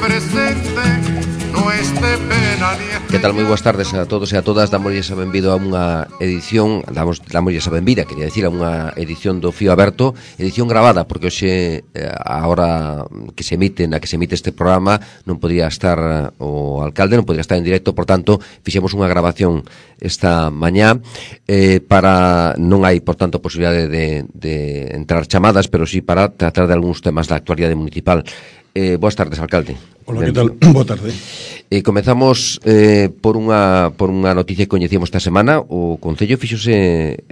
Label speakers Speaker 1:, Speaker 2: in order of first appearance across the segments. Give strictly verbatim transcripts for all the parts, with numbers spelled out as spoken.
Speaker 1: presente no este pena ni este...
Speaker 2: Que tal, moi boas tardes a todos e a todas. Damosles a benvido a unha edición, damos, damosles a benvida, quería decir, a unha edición do Fío Aberto, edición gravada, porque hoxe, a hora que se emite, na que se emite este programa, non podía estar o alcalde, non podía estar en directo, por tanto, fixemos unha grabación esta mañá, eh, para, non hai, por tanto, posibilidade de, de entrar chamadas, pero sí para tratar de algúns temas da actualidade municipal. Eh, boas tardes, alcalde.
Speaker 3: Hola, que tal? Boa tarde.
Speaker 2: E eh, comezamos eh, por unha por unha noticia que coñecíamos esta semana. O Concello fíxose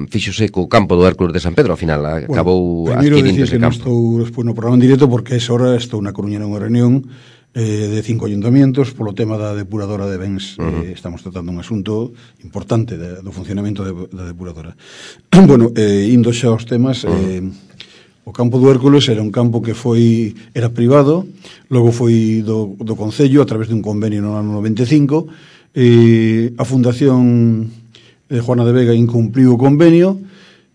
Speaker 2: fíxose co campo do Hércules de San Pedro. Ao final acabou
Speaker 3: bueno,
Speaker 2: adquirindo ese campo. Primeiro dicir
Speaker 3: que non estou despois no programa en directo porque a esa hora estou na Coruña nunha reunión eh, de cinco ayuntamientos polo tema da depuradora de bens. Uh-huh. eh, estamos tratando un asunto importante de, do funcionamento de, da depuradora. Bueno, eh, indo xa aos temas... Uh-huh. eh, O campo do Hércules era un campo que foi era privado, logo foi do, do Concello a través dun convenio no ano noventa e cinco. Eh, a Fundación eh, Juana de Vega incumpliu o convenio,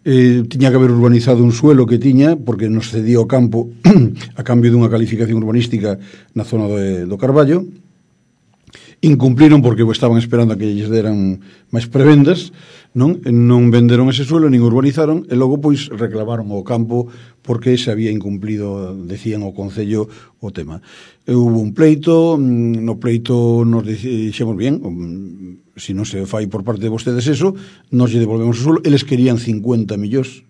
Speaker 3: eh, tiña que haber urbanizado un suelo que tiña, porque nos cedía o campo a cambio dunha calificación urbanística na zona de, do Carballo. Incumpliron porque estaban esperando a que lles deran máis prebendas, non non venderon ese suelo, nin urbanizaron, e logo pois reclamaron o campo porque se había incumplido, decían o Concello, o tema. E hubo un pleito, no pleito nos dixemos bien, se non se fai por parte de vostedes eso, nos lle devolvemos o suelo, eles querían cincuenta millóns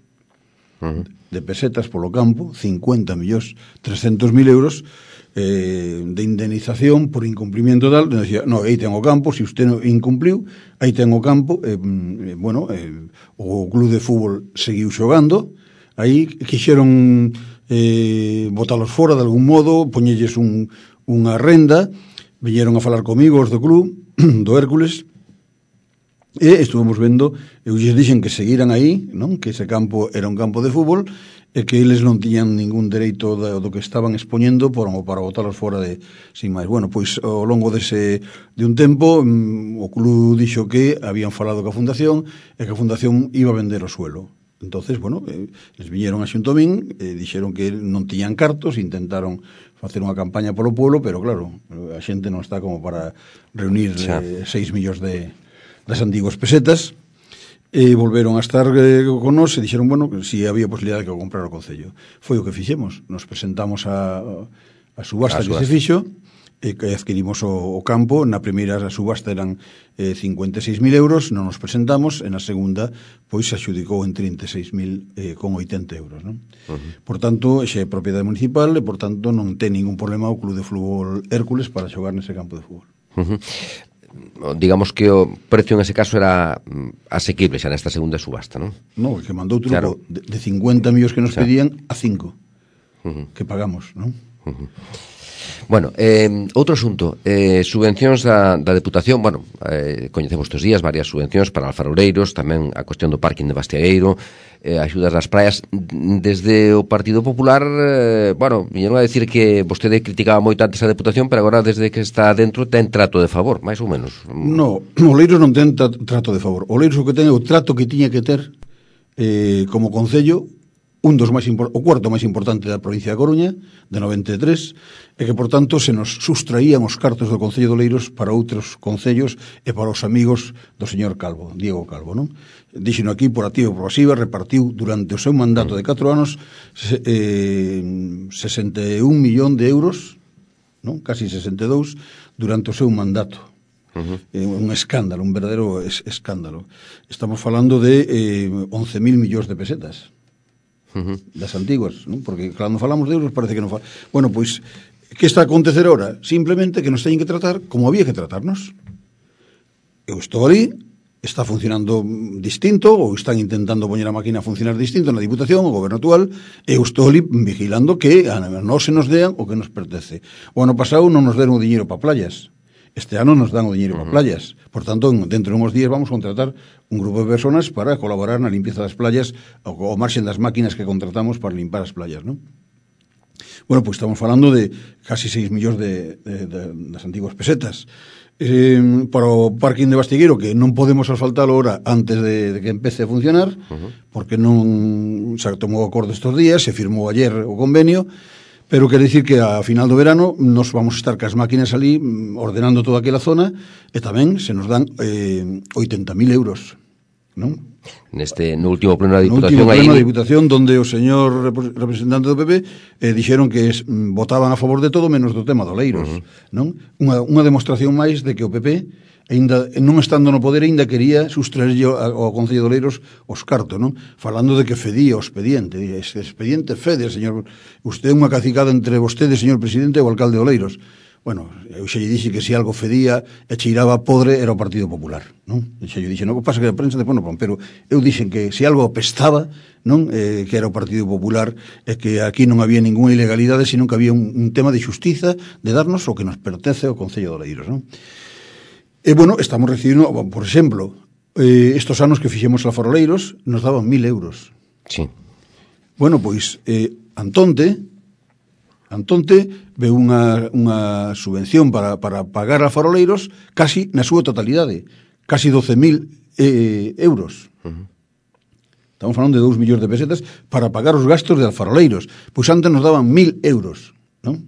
Speaker 3: uh-huh. de pesetas polo campo, cincuenta millóns, trescentos mil euros, Eh, de indemnización por incumplimiento tal, decía, no, aí ten o campo, se usted non incumpliu, aí ten o campo, eh, eh, bueno, eh, o club de fútbol seguiu xogando, aí quixeron eh, botalos fora de algún modo, poñelles un, unha renda, viñeron a falar comigo os do club, do Hércules, e estuvemos vendo, eu lles dixen que seguiran aí, non? Que ese campo era un campo de fútbol, e que eles non tiñan ningún dereito do, do que estaban expoñendo por, para botalos fora de sin máis. Bueno, pois ao longo dese de un tempo o club dixo que habían falado ca Fundación e que a Fundación iba a vender o suelo. Entonces, bueno, eh, les viñeron a Xuntomín, eh, dixeron que non tiñan cartos, intentaron facer unha campaña polo pueblo, pero claro, a xente non está como para reunir eh, seis millóns de das antiguas pesetas. E volveron a estar eh, con nós e dixeron, bueno, si había posibilidade de que o comprara o Concello. Foi o que fixemos. Nos presentamos a, a subasta a que subasta. se fixo e que adquirimos o, o campo. Na primeira subasta eran eh, cincuenta e seis mil euros, non nos presentamos, e na segunda pois se adxudicou en trinta e seis mil eh, con oitenta euros, non? Uh-huh. Por tanto, xa é propiedade municipal e por tanto non ten ningún problema o Club de Fútbol Hércules para xogar nese campo de fútbol.
Speaker 2: Uh-huh. Digamos que o precio en ese caso era asequible xa nesta segunda subasta, non?
Speaker 3: Non, que mandou outro claro. de, de cincuenta millóns que nos claro. pedían a cinco uh-huh. que pagamos, non?
Speaker 2: Uh-huh. Bueno, eh, outro asunto, eh, subvencións da, da Deputación, bueno, eh, coñecemos estes días varias subvencións para alfaroureiros, tamén a cuestión do parking de Bastiagueiro, eh, axudas das praias. Desde o Partido Popular, eh, bueno, viñeron a decir que vostede criticaba moito antes a Deputación, pero agora desde que está dentro ten trato de favor, máis ou menos.
Speaker 3: No, Oleiros non ten trato de favor. Oleiros o que ten é o trato que tiña que ter eh, como Concello, un dos máis o cuarto máis importante da provincia de Coruña, de noventa e tres, e que, por tanto, se nos sustraían os cartos do Concello de Oleiros para outros concellos e para os amigos do señor Calvo, Diego Calvo, non? Dixeno aquí por activa e por pasiva, repartiu durante o seu mandato de catro anos eh, sesenta e un millón de euros, non? Casi sesenta e dous, durante o seu mandato. Uh-huh. Eh, un escándalo, un verdadeiro es, escándalo. Estamos falando de eh, once mil millóns de pesetas. Uh-huh. Das antiguas, non? Porque cando falamos de euros parece que non fala. Bueno, pois, que está a acontecer ahora? Simplemente que nos teñen que tratar como había que tratarnos. Eu estou ali, está funcionando distinto, ou están intentando poñer a máquina a funcionar distinto na Diputación, o Goberno actual, e eu estou ali vigilando que a non se nos dean o que nos pertence. O ano pasado non nos deron o diñeiro para playas. Este ano nos dan o diñeiro uh-huh. para playas. Por tanto, dentro de uns días vamos a contratar un grupo de personas para colaborar na limpieza das playas ao marxen das máquinas que contratamos para limpar as playas, non? Bueno, pois pues estamos falando de casi seis millóns de, de, de, das antiguas pesetas. Eh, para o parking de Bastigueiro, que non podemos asfaltalo ahora antes de, de que empece a funcionar, uh-huh. porque non se tomou acordo estes días, se firmou ayer o convenio, pero quere dicir que a final do verano nos vamos estar cas máquinas ali ordenando toda aquela zona e tamén se nos dan eh, oitenta mil euros, non?
Speaker 2: Neste, no último pleno da Diputación,
Speaker 3: no último pleno
Speaker 2: aí...
Speaker 3: da Diputación, donde o señor representante do P P eh, dixeron que es, votaban a favor de todo menos do tema do Oleiros, uh -huh. non? Unha, unha demostración máis de que o P P ainda non estando no poder ainda quería sustraerlle ao Concello de Oleiros os cartos, non? Falando de que fedía o expediente, ese expediente fede, señor, usted é unha cacicada entre vostede, señor presidente, e o alcalde de Oleiros. Bueno, eu xa lle dixe que se algo fedía e cheiraba podre era o Partido Popular, non? E xa lle dixe, non, pasa que a prensa depois non pon, pero eu dixen que se algo apestaba, non, eh, que era o Partido Popular e que aquí non había ninguna ilegalidade, sino que había un, un tema de xustiza de darnos o que nos pertence ao Concello de Oleiros, non? E, bueno, estamos recibindo, por exemplo, eh, estos anos que fixemos a Faroleiros nos daban mil euros.
Speaker 2: Sí.
Speaker 3: Bueno, pois, eh, Antonte, Antonte veu unha, unha subvención para, para pagar a Faroleiros casi na súa totalidade, casi doce mil eh, euros. Uh -huh. Estamos falando de dous millóns de pesetas para pagar os gastos de Alfaroleiros. Pois antes nos daban mil euros, non?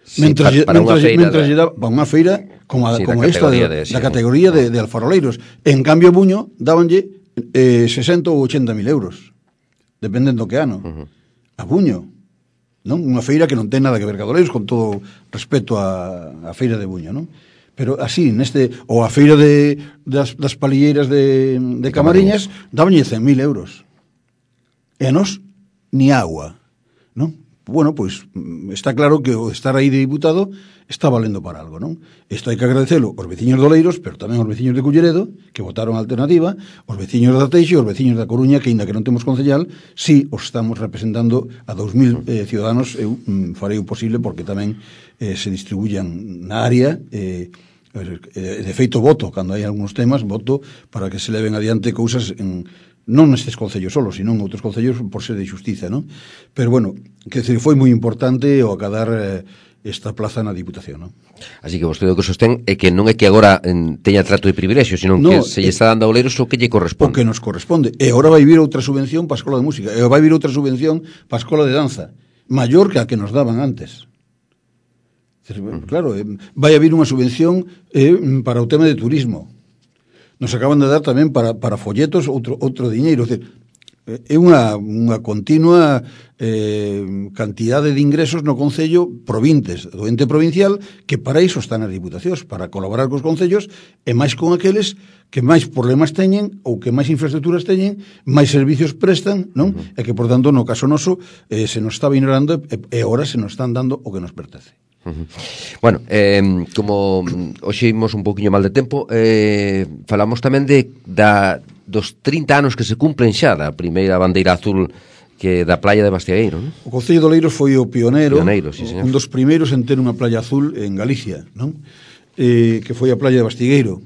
Speaker 2: Sí,
Speaker 3: mentras,
Speaker 2: para, para
Speaker 3: mentras,
Speaker 2: unha feira,
Speaker 3: mentras
Speaker 2: de...
Speaker 3: lle daba para unha feira como, a,
Speaker 2: sí,
Speaker 3: como esta de,
Speaker 2: de, sí,
Speaker 3: da categoría de, de Alfaroleiros. En cambio, Buño dabanlle eh, sesenta ou ochenta mil euros, dependendo do que ano. Uh -huh. A Buño, non? Unha feira que non ten nada que ver con Oleiros, con todo respeto a, a feira de Buño, non? Pero así, neste, ou a feira de, das, das palilleiras de, de Camariñas, dabanlle cen mil euros. E a nos, ni agua, non? Bueno, pois está claro que o estar aí de diputado está valendo para algo, non? Isto hai que agradecelo aos veciños de Oleiros, pero tamén aos veciños de Culleredo, que votaron a alternativa, aos veciños da Teixe, aos veciños da Coruña, que aínda que non temos concellal, si os estamos representando a dous mil eh, ciudadanos. Eu mm, farei o posible porque tamén eh, se distribuyan na área, eh, de feito voto, cando hai algúns temas, voto para que se leven adiante cousas en non nestes concellos solos, sino en outros concellos por ser de xustiza, non? Pero, bueno, que decir, foi moi importante o acadar eh, esta plaza na Diputación, non?
Speaker 2: Así que vostede o que sostén é que non é que agora en, teña trato de privilexio, sino no, que se lle está dando a Oleiros o que lle corresponde.
Speaker 3: O que nos corresponde. E agora vai vir outra subvención para a Escola de Música, e vai vir outra subvención para a Escola de Danza, maior que a que nos daban antes. Claro, eh, vai haber unha subvención eh, para o tema de turismo. Nos acaban de dar tamén para, para folletos outro, outro diñeiro. É unha, unha continua eh, cantidade de ingresos no Concello provintes, do ente provincial, que para iso están as diputacións, para colaborar cos concellos e máis con aqueles que máis problemas teñen ou que máis infraestructuras teñen, máis servicios prestan, non? Uh -huh. E que, por tanto, no caso noso, eh, se nos estaba ignorando e, e agora se nos están dando o que nos pertence.
Speaker 2: Uh -huh. Bueno, eh, como hoxe imos un poquinho mal de tempo, eh, falamos tamén de da, dos trinta anos que se cumplen xa da primeira bandeira azul que da playa de Bastiegueiro, non?
Speaker 3: O Concello de Oleiros foi o pioneiro,
Speaker 2: pioneiro sí,
Speaker 3: un dos primeiros en ter unha playa azul en Galicia, non? Eh, que foi a playa de Bastiegueiro.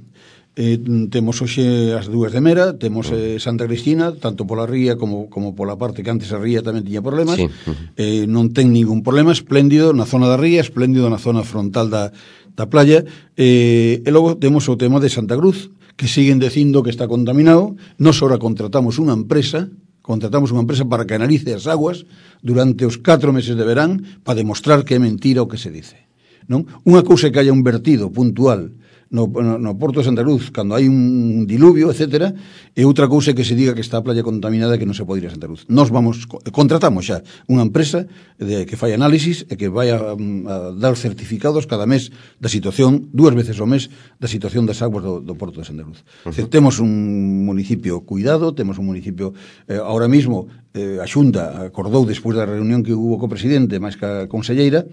Speaker 3: Eh, temos hoxe as dúas de Mera, temos eh, Santa Cristina, tanto pola ría como, como pola parte que antes a ría tamén tiña problemas. Sí. Uh-huh. eh, non ten ningún problema, espléndido na zona da ría, espléndido na zona frontal da, da playa. Eh, e logo temos o tema de Santa Cruz, que siguen dicindo que está contaminado. Nos ahora contratamos unha empresa, contratamos unha empresa para que analice as aguas durante os catro meses de verán para demostrar que é mentira o que se dice, non? Unha cousa é que haya un vertido puntual No, no, no Porto de Santa Cruz, cando hai un diluvio, etcétera, e outra cousa é que se diga que está a playa contaminada e que non se pode ir a Santa Cruz. Nos vamos, contratamos xa unha empresa de, que fai análisis e que vai a, a dar certificados cada mes da situación, dúas veces ao mes, da situación das aguas do, do Porto de Santa Cruz. Uh -huh. Temos un municipio cuidado, temos un municipio, eh, ahora mismo, eh, a Xunta acordou, despois da reunión que hubo co presidente, máis que a conselleira,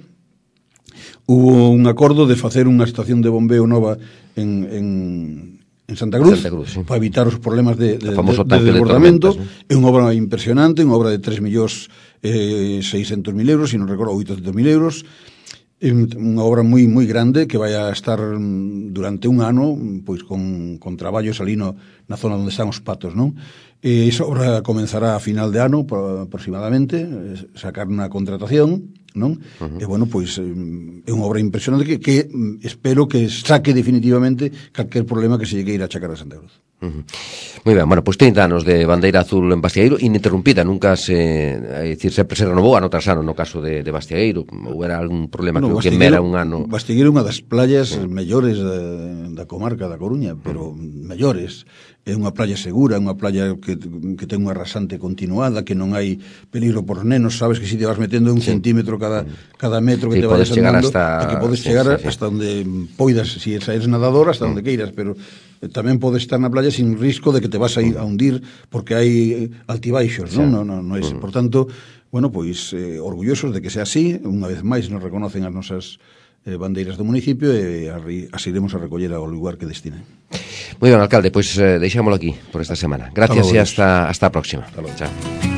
Speaker 3: hubo un acordo de facer unha estación de bombeo nova en, en, en Santa Cruz, Santa Cruz sí. para evitar os problemas de, de, de, de desbordamento. De é unha obra impresionante, unha obra de tres millóns seiscentos mil euros, se non recordo, oitocentos mil euros, unha obra moi moi grande que vai a estar durante un ano pois con, con traballos ali no, na zona onde están os patos, non? E esa obra comenzará a final de ano aproximadamente, sacar unha contratación, non? Uh -huh. E bueno, pois é unha obra impresionante que, que espero que saque definitivamente calquer problema que se llegue a ir a achacar a Santa Cruz.
Speaker 2: Uh -huh. Moi ben, bueno, pois pues trinta anos de bandeira azul en Bastiagueiro, ininterrumpida, nunca se, é dicir, sempre se renovou ano tras ano no caso de, de Bastiagueiro, ou era algún problema
Speaker 3: bueno,
Speaker 2: que mera un ano.
Speaker 3: Bastiagueiro é unha das playas sí. mellores da, da comarca da Coruña, pero uh -huh. mellores. É unha playa segura, é unha playa que, que ten unha rasante continuada, que non hai peligro por nenos, sabes que si te vas metendo un sí. centímetro cada, cada metro que sí, te vayas andando, hasta... e que podes sí, chegar sí, sí. hasta onde poidas, si eres nadador, hasta mm. onde queiras, pero tamén podes estar na playa sin risco de que te vas a ir a hundir porque hai altibaixos, sí. non? No, no, no é, mm. Por tanto, bueno, pois eh, orgullosos de que sea así, unha vez máis nos reconocen as nosas eh, bandeiras do municipio e as iremos a recoller ao lugar que destinen.
Speaker 2: Moi ben, alcalde, pois eh, deixámoslo aquí por esta semana. Gracias e hasta, hasta a próxima.
Speaker 3: Hasta logo.
Speaker 2: Chao.